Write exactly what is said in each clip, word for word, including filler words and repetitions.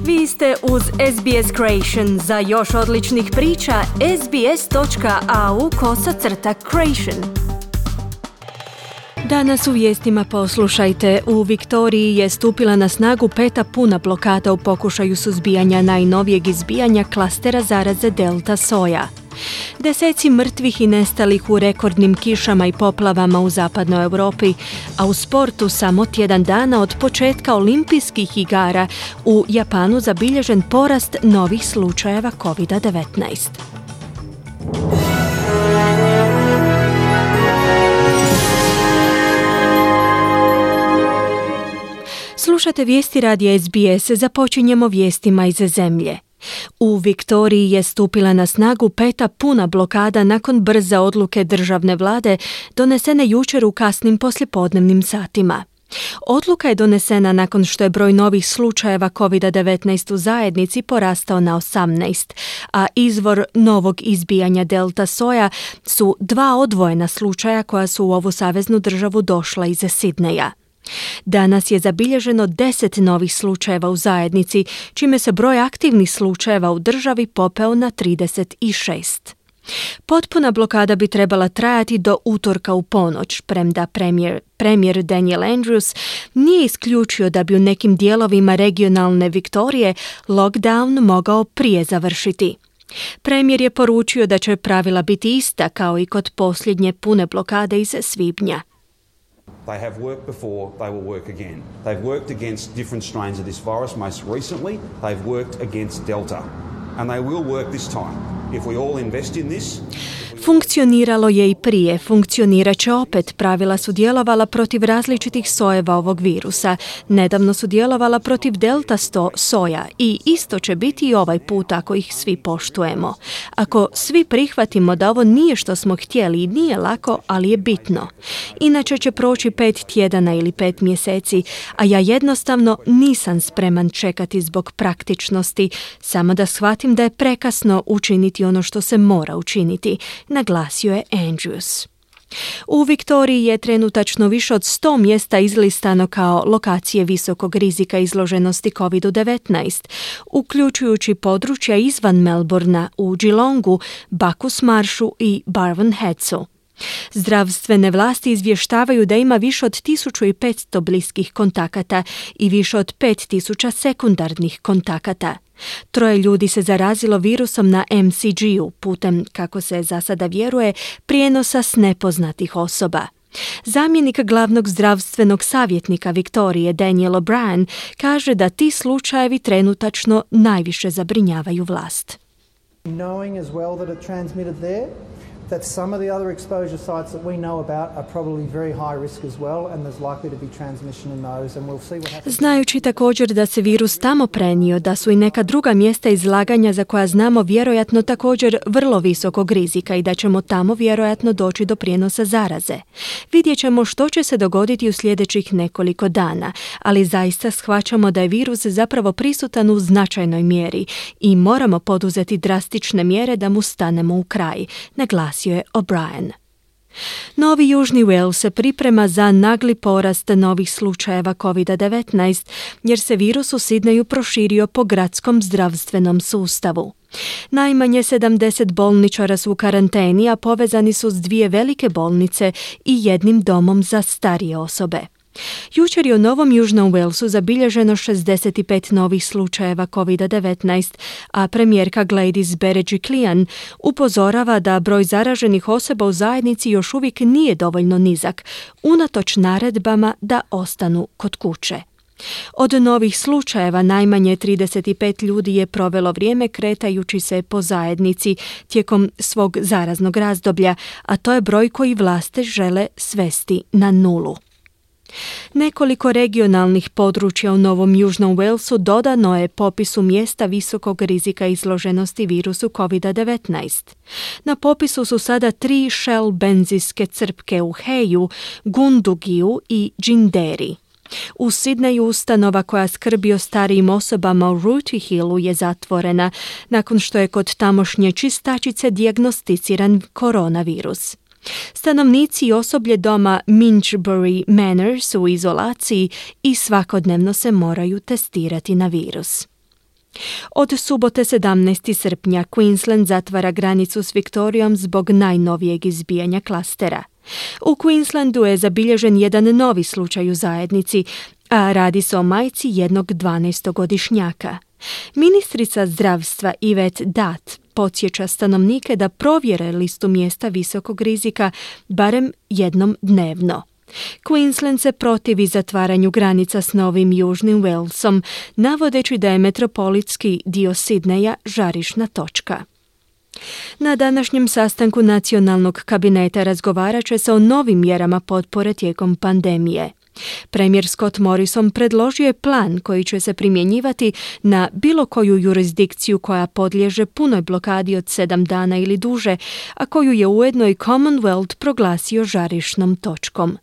Vi ste uz S B S Creation. Za još odličnih priča, sbs.au kosacrta creation. Danas u vijestima poslušajte. U Viktoriji je stupila na snagu peta puna blokada u pokušaju suzbijanja najnovijeg izbijanja klastera zaraze Delta soja. Deseci mrtvih i nestalih u rekordnim kišama i poplavama u zapadnoj Europi, a u sportu samo tjedan dana od početka olimpijskih igara u Japanu zabilježen porast novih slučajeva kovid devetnaest. Slušate vijesti radija S B S, započinjemo vijestima iz zemlje. U Viktoriji je stupila na snagu peta puna blokada nakon brze odluke državne vlade donesene jučer u kasnim poslijepodnevnim satima. Odluka je donesena nakon što je broj novih slučajeva kovid devetnaest u zajednici porastao na osamnaest, a izvor novog izbijanja Delta soja su dva odvojena slučaja koja su u ovu saveznu državu došla iz Sidneja. Danas je zabilježeno deset novih slučajeva u zajednici, čime se broj aktivnih slučajeva u državi popeo na trideset šest. Potpuna blokada bi trebala trajati do utorka u ponoć, premda premijer, premijer Daniel Andrews nije isključio da bi u nekim dijelovima regionalne Viktorije lockdown mogao prije završiti. Premijer je poručio da će pravila biti ista kao i kod posljednje pune blokade iz svibnja. They have worked before, they will work again. They've worked against different strains of this virus. Most recently, they've worked against Delta. And they will work this time. If we all invest in this... Funkcioniralo je i prije, funkcionirat će opet. Pravila su djelovala protiv različitih sojeva ovog virusa. Nedavno su djelovala protiv delta sto soja i isto će biti i ovaj put ako ih svi poštujemo. Ako svi prihvatimo da ovo nije što smo htjeli i nije lako, ali je bitno. Inače će proći pet tjedana ili pet mjeseci, a ja jednostavno nisam spreman čekati zbog praktičnosti, samo da shvatim da je prekasno učiniti ono što se mora učiniti, naglasio je Andrews. U Viktoriji je trenutačno više od sto mjesta izlistano kao lokacije visokog rizika izloženosti kovid devetnaest, uključujući područja izvan Melbourna u Geelongu, Bacchus Marshu i Barwon Headsu. Zdravstvene vlasti izvještavaju da ima više od tisuću petsto bliskih kontakata i više od pet tisuća sekundarnih kontakata. Troje ljudi se zarazilo virusom na M C G-u putem, kako se za sada vjeruje, prijenosa s nepoznatih osoba. Zamjenik glavnog zdravstvenog savjetnika Viktorije Daniel O'Brien kaže da ti slučajevi trenutačno najviše zabrinjavaju vlast. Knowing as well that it transmitted there, that some of the other exposure sites that we know about are probably very high risk as well, and there's likely to be transmission in those, and we'll see what happens. Znajući također da se virus tamo prenio, da su i neka druga mjesta izlaganja za koja znamo vjerojatno također vrlo visokog rizika i da ćemo tamo vjerojatno doći do prijenosa zaraze. Vidjet ćemo što će se dogoditi u sljedećih nekoliko dana, ali zaista shvaćamo da je virus zapravo prisutan u značajnoj mjeri i moramo poduzeti drastične mjere da mu stanemo u kraj, naglasio je O'Brien. Novi Južni Wales se priprema za nagli porast novih slučajeva kovid devetnaest jer se virus u Sidneju proširio po gradskom zdravstvenom sustavu. Najmanje sedamdeset bolničara su u karanteni, a povezani su s dvije velike bolnice i jednim domom za starije osobe. Jučer je u Novom Južnom Walesu zabilježeno šezdeset pet novih slučajeva kovid devetnaest, a premijerka Gladys Berejiklian upozorava da broj zaraženih osoba u zajednici još uvijek nije dovoljno nizak, unatoč naredbama da ostanu kod kuće. Od novih slučajeva najmanje trideset pet ljudi je provelo vrijeme kretajući se po zajednici tijekom svog zaraznog razdoblja, a to je broj koji vlasti žele svesti na nulu. Nekoliko regionalnih područja u Novom Južnom Walesu dodano je popisu mjesta visokog rizika izloženosti virusu kovid devetnaest. Na popisu su sada tri Shell benzinske crpke u Heju, Gundugiju i Džinderi. U Sidneju ustanova koja skrbi o starijim osobama u Rooty Hillu je zatvorena nakon što je kod tamošnje čistačice dijagnosticiran koronavirus. Stanovnici i osoblje doma Minchbury Manor su u izolaciji i svakodnevno se moraju testirati na virus. Od subote sedamnaestog srpnja Queensland zatvara granicu s Viktorijom zbog najnovijeg izbijanja klastera. U Queenslandu je zabilježen jedan novi slučaj u zajednici, a radi se o majci jednog dvanaestogodišnjaka. Ministrica zdravstva Yvette Dutt podsjeća stanovnike da provjere listu mjesta visokog rizika barem jednom dnevno. Queensland se protivi zatvaranju granica s Novim Južnim Walesom, navodeći da je metropolitski dio Sidneja žarišna točka. Na današnjem sastanku nacionalnog kabineta razgovarat će se o novim mjerama potpore tijekom pandemije. Premijer Scott Morrison predložio je plan koji će se primjenjivati na bilo koju jurisdikciju koja podliježe punoj blokadi od sedam dana ili duže, a koju je ujedno i Commonwealth proglasio žarišnom točkom.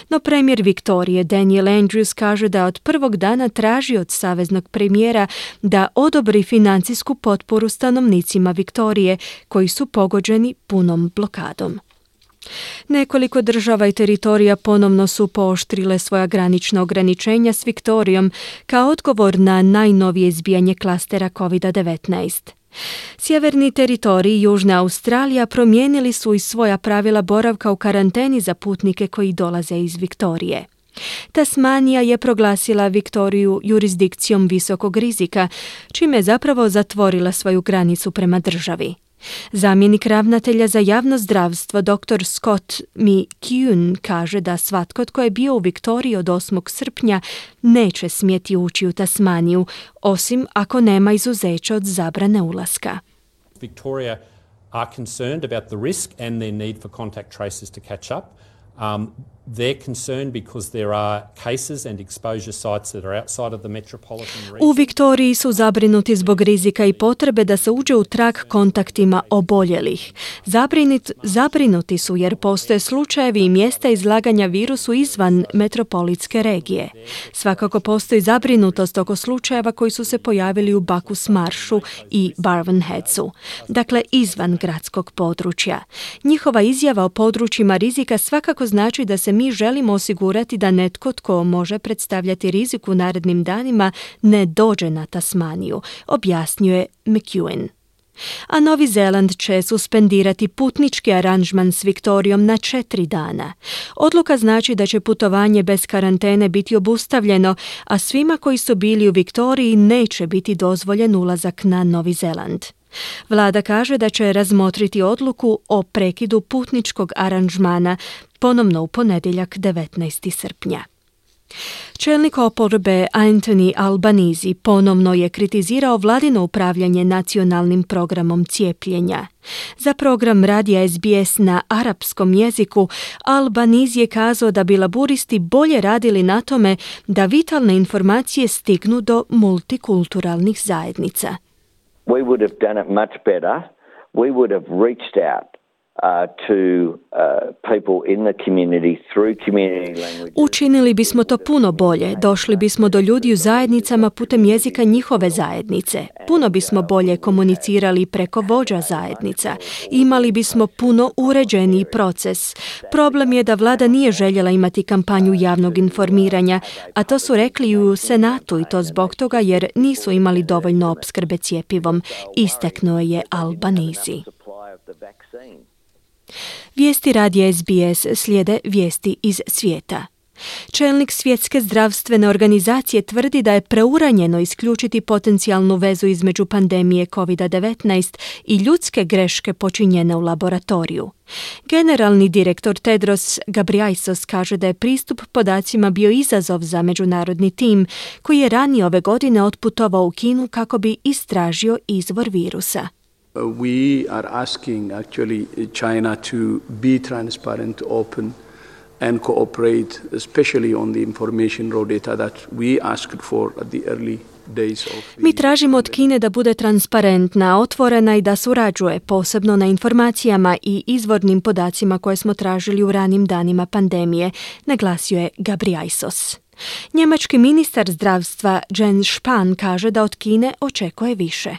No premijer Viktorije Daniel Andrews kaže da od prvog dana traži od saveznog premijera da odobri financijsku potporu stanovnicima Viktorije koji su pogođeni punom blokadom. Nekoliko država i teritorija ponovno su pooštrile svoja granična ograničenja s Viktorijom kao odgovor na najnovije izbijanje klastera kovid devetnaest. Sjeverni teritorij i Južna Australija promijenili su i svoja pravila boravka u karanteni za putnike koji dolaze iz Viktorije. Tasmanija je proglasila Viktoriju jurisdikcijom visokog rizika, čime je zapravo zatvorila svoju granicu prema državi. Zamjenik ravnatelja za javno zdravstvo dr Scott McKeown kaže da svatko tko je bio u Viktoriji od osmog srpnja neće smjeti ući u Tasmaniju, osim ako nema izuzeća od zabrane ulaska. Victoria are concerned about the risk and their need for contact tracers to catch up. Um, they're concerned because there are cases and exposure sites that are outside of the metropolitan region. U Viktoriji su zabrinuti zbog rizika i potrebe da se uđe u trag kontaktima oboljelih. Zabrinit, zabrinuti su jer postoje slučajevi i mjesta izlaganja virusu izvan metropolitske regije. Svakako postoji zabrinutost oko slučajeva koji su se pojavili u Bacchus Marshu i Barwon Headsu, dakle izvan gradskog područja. Njihova izjava o područjima rizika svakako znači da se mi želimo osigurati da netko tko može predstavljati rizik u narednim danima ne dođe na Tasmaniju, objasnjuje McEwen. A Novi Zeland će suspendirati putnički aranžman s Viktorijom na četiri dana. Odluka znači da će putovanje bez karantene biti obustavljeno, a svima koji su bili u Viktoriji neće biti dozvoljen ulazak na Novi Zeland. Vlada kaže da će razmotriti odluku o prekidu putničkog aranžmana ponovno u ponedjeljak devetnaestog srpnja. Čelnik oporbe Anthony Albanese ponovno je kritizirao vladino upravljanje nacionalnim programom cijepljenja. Za program radija S B S na arapskom jeziku Albanese je kazao da bi laburisti bolje radili na tome da vitalne informacije stignu do multikulturalnih zajednica. We would have done it much better. We would have reached out uh, to uh, people in the community through community languages. Učinili bismo to puno bolje. Došli bismo do ljudi u zajednicama putem jezika njihove zajednice. Puno bismo bolje komunicirali preko vođa zajednica. Imali bismo puno uređeniji proces. Problem je da vlada nije željela imati kampanju javnog informiranja, a to su rekli i u Senatu i to zbog toga jer nisu imali dovoljno opskrbe cjepivom, istaknuo je Albanese. Vijesti radija S B S slijede vijesti iz svijeta. Čelnik Svjetske zdravstvene organizacije tvrdi da je preuranjeno isključiti potencijalnu vezu između pandemije kovid devetnaest i ljudske greške počinjene u laboratoriju. Generalni direktor Tedros Ghebreyesus kaže da je pristup podacima bio izazov za međunarodni tim koji je ranije ove godine otputovao u Kinu kako bi istražio izvor virusa. Uh, we are asking actually China to be transparent, open and cooperate, especially on the information raw data that we asked for at the early days of the... Mi tražimo od Kine da bude transparentna, otvorena i da surađuje, posebno na informacijama i izvornim podacima koje smo tražili u ranim danima pandemije, naglasio je Ghebreyesus. Njemački ministar zdravstva Jens Spahn kaže da od Kine očekuje više.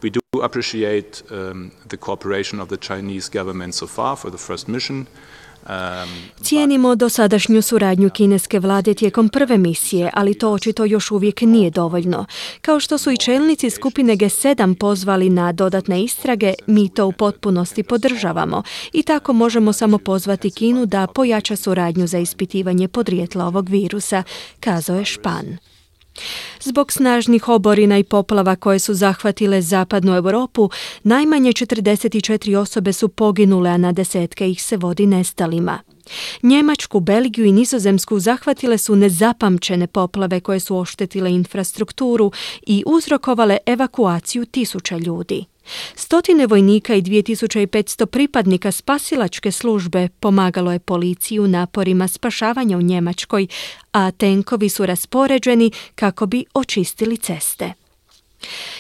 We do appreciate um, the cooperation of the Chinese government so far for the first mission. Cijenimo dosadašnju suradnju kineske vlade tijekom prve misije, ali to očito još uvijek nije dovoljno. Kao što su i čelnici skupine G sedam pozvali na dodatne istrage, mi to u potpunosti podržavamo i tako možemo samo pozvati Kinu da pojača suradnju za ispitivanje podrijetla ovog virusa, kazao je Špan. Zbog snažnih oborina i poplava koje su zahvatile zapadnu Europu, najmanje četrdeset četiri osobe su poginule, a na desetke ih se vodi nestalima. Njemačku, Belgiju i Nizozemsku zahvatile su nezapamćene poplave koje su oštetile infrastrukturu i uzrokovale evakuaciju tisuća ljudi. Stotine vojnika i dvije tisuće petsto pripadnika spasilačke službe pomagalo je policiji u naporima spašavanja u Njemačkoj, a tenkovi su raspoređeni kako bi očistili ceste.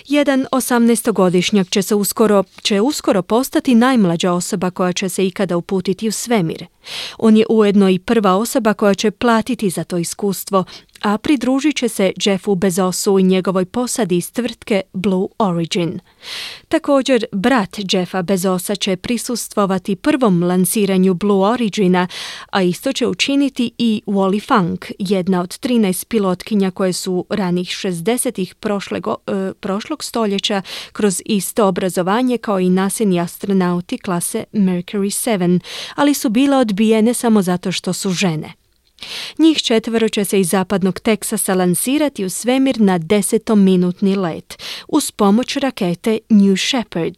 Jedan osamnaestogodišnjak će se uskoro, će uskoro postati najmlađa osoba koja će se ikada uputiti u svemir. On je ujedno i prva osoba koja će platiti za to iskustvo, a pridružit će se Jeffu Bezosu i njegovoj posadi iz tvrtke Blue Origin. Također, brat Jeffa Bezosa će prisustvovati prvom lansiranju Blue Origina, a isto će učiniti i Wally Funk, jedna od trinaest pilotkinja koje su ranih šezdesetih prošlego, e, prošlog stoljeća kroz isto obrazovanje kao i naseni astronauti klase Mercury sedam, ali su bile odbijene samo zato što su žene. Njih četvero će se iz zapadnog Teksasa lansirati u svemir na desetominutni let uz pomoć rakete New Shepard.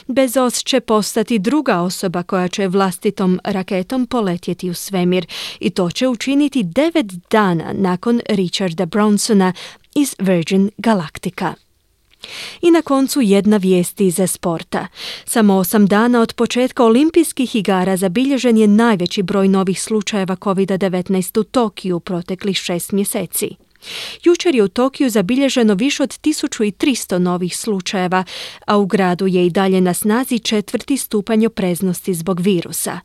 Bezos će postati druga osoba koja će vlastitom raketom poletjeti u svemir i to će učiniti devet dana nakon Richarda Bransona iz Virgin Galactica. I na koncu jedna vijest iz sporta. Samo osam dana od početka olimpijskih igara zabilježen je najveći broj novih slučajeva kovid devetnaest u Tokiju proteklih šest mjeseci. Jučer je u Tokiju zabilježeno više od tisuću tristo novih slučajeva, a u gradu je i dalje na snazi četvrti stupanj opreznosti zbog virusa.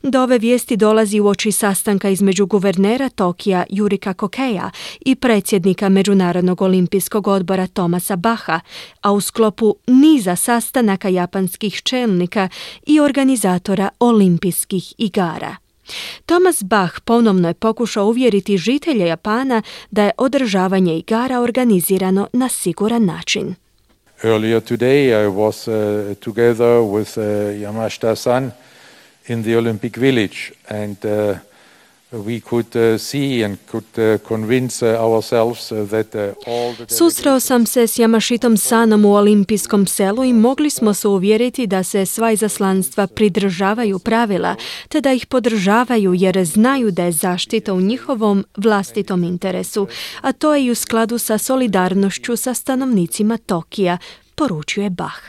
Do ove vijesti dolazi uoči sastanka između guvernera Tokija Jurika Kokeja i predsjednika Međunarodnog olimpijskog odbora Thomasa Bacha, a u sklopu niza sastanaka japanskih čelnika i organizatora olimpijskih igara. Thomas Bach ponovno je pokušao uvjeriti žitelje Japana da je održavanje igara organizirano na siguran način. Earlier today I was uh, together with uh, Yamashita-san in the Olympic Village, and uh, we could uh, see and could uh, convince uh, ourselves uh, that uh, all the Susreo sam se s Yamashitom Sanom u olimpijskom selu i mogli smo se uvjeriti da se sva izaslanstva pridržavaju pravila, te da ih podržavaju jer znaju da je zaštita u njihovom vlastitom interesu, a to je i u skladu sa solidarnošću sa stanovnicima Tokija, poručuje Bach.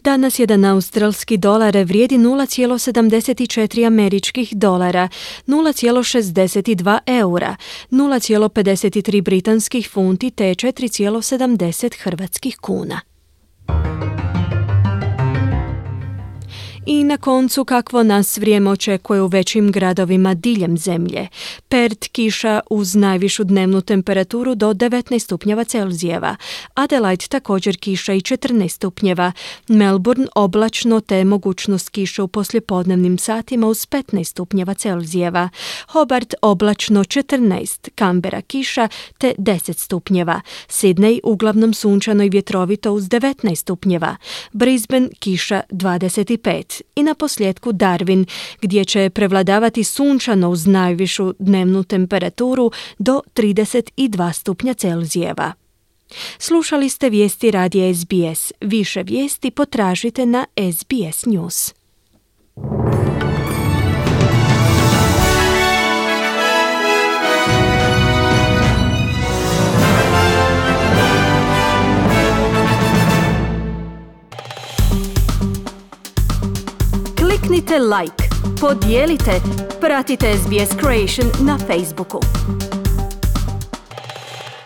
Danas jedan australski dolar vrijedi nula zarez sedamdeset četiri američkih dolara, nula zarez šezdeset dva eura, nula zarez pedeset tri britanskih funti te četiri zarez sedamdeset hrvatskih kuna. I na koncu kakvo nas vrijeme očekuje u većim gradovima diljem zemlje. Perth kiša uz najvišu dnevnu temperaturu do devetnaest stupnjeva Celzijeva. Adelaide također kiša i četrnaest stupnjeva. Melbourne oblačno te mogućnost kiše u poslijepodnevnim satima uz petnaest stupnjeva Celzijeva. Hobart oblačno četrnaest, Canberra kiša te deset stupnjeva. Sydney uglavnom sunčano i vjetrovito uz devetnaest stupnjeva. Brisbane kiša dvadeset pet. I na posljedku Darwin, gdje će prevladavati sunčano uz najvišu dnevnu temperaturu do trideset dva stupnja Celzijeva. Slušali ste vijesti radija S B S. Više vijesti potražite na S B S News. Kliknite like, podijelite, pratite S B S Creation na Facebooku.